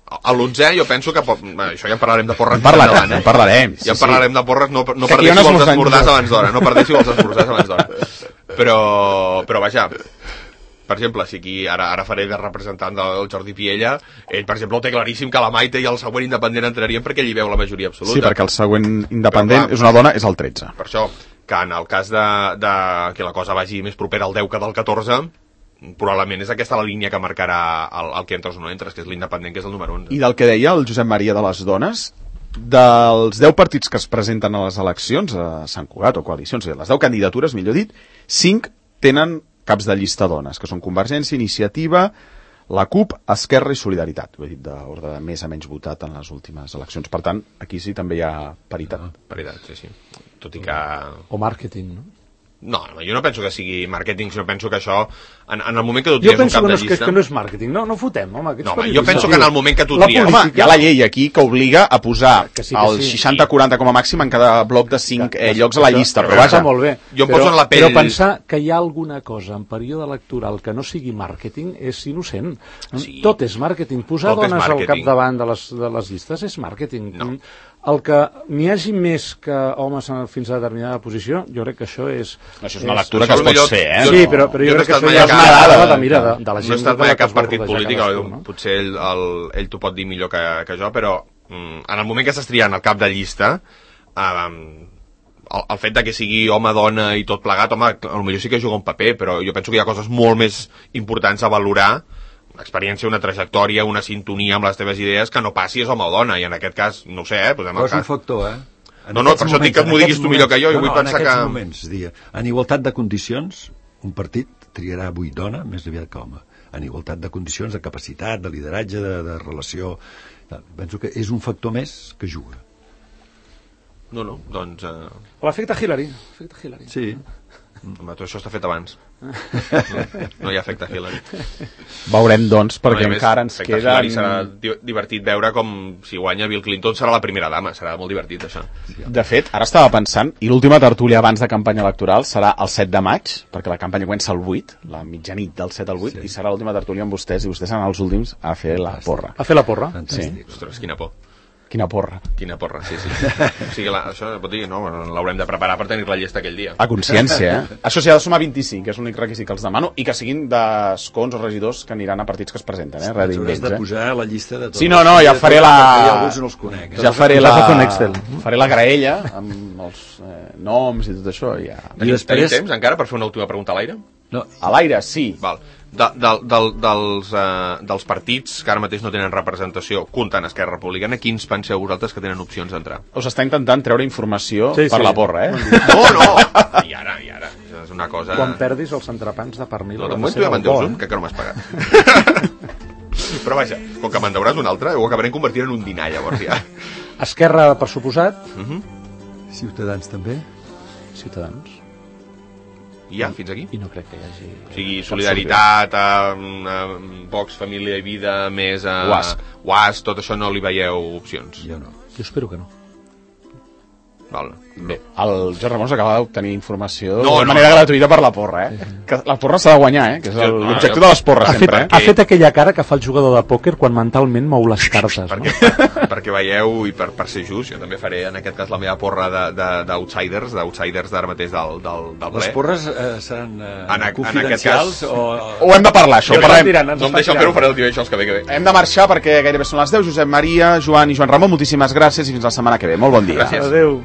A l'onzè jo penso que... pot- bé, això ja en parlarem de porres. En parlarem, endavant, en parlarem, sí, Ja en sí. parlarem de porres, no, no Que aquí hi ha perdéssiu un els esmorzar esmorzars entre- abans d'hora, no perdéssiu els esmorzars abans d'hora. Però, però vaja, per exemple, si aquí ara, ara faré de representant del Jordi Piella, ell, per exemple, ho té claríssim que la Maite i el següent independent entrarien perquè ell hi veu la majoria absoluta. Sí, perquè el següent independent Però, clar, és una dona, és el tretze. Per això, que en el cas de, de que la cosa vagi més propera al deu que del catorze, probablement és aquesta la línia que marcarà el, el que entres o no entres, que és l'independent, que és el número onze. I del que deia el Josep Maria de les dones, dels deu partits que es presenten a les eleccions, a Sant Cugat o coalicions, les deu candidatures, millor dit, cinc tenen caps de llista dones, que són Convergència, Iniciativa, la CUP, Esquerra i Solidaritat. Ho he dit d'ordre de més a menys votat en les últimes eleccions. Per tant, aquí sí també hi ha paritat. Veritat, sí, sí. Tot i que... O màrqueting, no? No, no, jo no penso que sigui màrqueting, sinó penso que això, en, en el moment que tu Jo tries un penso cap que no, de és, que, llista... que no és màrqueting, no, no fotem, home. No, home, jo penso que en el moment que tu La tries... Home, política- hi ha la llei aquí que obliga a posar Que sí, que el sí. seixanta quaranta com a màxim en cada bloc de cinc eh, llocs a la llista, però Però vaja, està molt bé. Jo em però, poso en la pell- Però pensar que hi ha alguna cosa en període electoral que no sigui màrqueting és innocent. Sí. Tot és màrqueting. Posar Tot és dones al màrqueting. capdavant de les, de les llistes és màrqueting. No. El que n'hi hagi més que homes en- fins a determinada posició, jo crec que això és... això és una lectura que això es pot millor- fer, eh? Sí, però, però jo, Jo no he crec que estat això mai ja a és cap- una dada de, cap- mira, de, de la No gent he estat de mai la a que cap es vol partit rodejar polític, cadascú, no? no? Potser ell, el, ell t'ho pot dir millor que, que jo, però mm, en el moment que estàs triant el cap de llista, um, el, el fet de que sigui home, dona i tot plegat, home, potser sí que juga un paper, però jo penso que hi ha coses molt més importants a valorar, una experiència, una trajectòria, una sintonia amb les teves idees, que no passi és home o dona, i en aquest cas, no ho sé, eh, posem Però el és un cas. factor, eh? En No, no, aquests per això dic que en m'ho diguis aquests tu millor que jo, i no, vull no, pensar en aquests que- moments, és a dir, en igualtat de condicions, un partit triarà avui dona més aviat que home. En igualtat de condicions, de capacitat, de lideratge, de, de relació... Penso que és un factor més que juga. No, no, doncs... Eh, L'efecte Hillary. L'efecte Hillary. Sí. home, tot això està fet abans. No, no hi ha efecte Hillary. Veurem, doncs, perquè No, i a més, encara ens efecte Hillary queden... serà di- divertit veure com si guanya Bill Clinton serà la primera dama, serà molt divertit això. De fet, ara estava pensant, i l'última tertúlia abans de campanya electoral serà el set de maig, perquè la campanya comença el vuit, la mitjanit del set al vuit, sí. I serà l'última tertúlia amb vostès, i vostès seran els últims a fer la porra. A fer la porra. Fantàstic. Ostres, quina por. Quina porra. Quina porra, sí, sí. O sigui, la, això pot dir, no, l'haurem de preparar per tenir la llesta aquell dia. A consciència, eh? Això s'hi ha de sumar vint-i-cinc, que és l'únic requisit que els demano, i que siguin d'escons o regidors que aniran a partits que es presenten, eh? Res Hauràs d'invents, de eh? posar la llista de tots. Sí, no, no, ja faré la... Ja alguns no els conec. Eh? Ja faré Has la... de fer un Excel. Faré la graella amb els eh, noms i tot això, i ja... Tenim, després- tenim temps encara per fer una última pregunta a l'aire? No, A l'aire, sí. Val. De, de, de, dels, uh, dels partits que ara mateix no tenen representació, comptant Esquerra Republicana, quins penseu vosaltres que tenen opcions d'entrar? Us està intentant treure informació Sí, per sí. la porra, eh? No, no! I ara, i ara. Això és una cosa... Quan perdis els entrepans de pernil... No, de haurà moment ser tu ja me'n del bo, deus un, eh? que encara no m'has pagat. Però vaja, com que me'n deuràs un altre, ho acabarem convertint en un dinar, llavors ja. Esquerra, per suposat, Ciutadans també. Ciutadans. I ja, fins aquí. I no crec que hi hagi... O sigui, solidaritat, a, a Vox, Família i Vida, més a U A S. U A S, tot això no li veieu opcions. Jo no. Jo espero que no. Val. Bé, el Jordi Ramon acaba d'obtenir informació No, de no, manera no. gratuïta per la porra, eh? Que la porra s'ha de guanyar, eh? Que és el- Jo- l'objectiu jo- de les porres, Ha fet, sempre, eh? ha fet aquella cara que fa el jugador de pòquer quan mentalment mou les cartes, no? perquè, per, perquè veieu, i per, per ser just, jo també faré en aquest cas la meva porra d'outsiders, d'outsiders d'ara mateix del, del, del ple. Les porres eh, seran eh, En a- en aquest confidencials cas- o... Ho hem de parlar, això, Jo ho parlem. tirant, ens no em està deixen tirant. fer-ho, faré el divendres que ve que ve. Hem de marxar perquè gairebé són les deu. Josep Maria, Joan i Joan Ramon, moltíssimes gràcies i fins la setmana que ve. Molt bon dia. Gràcies. Adéu.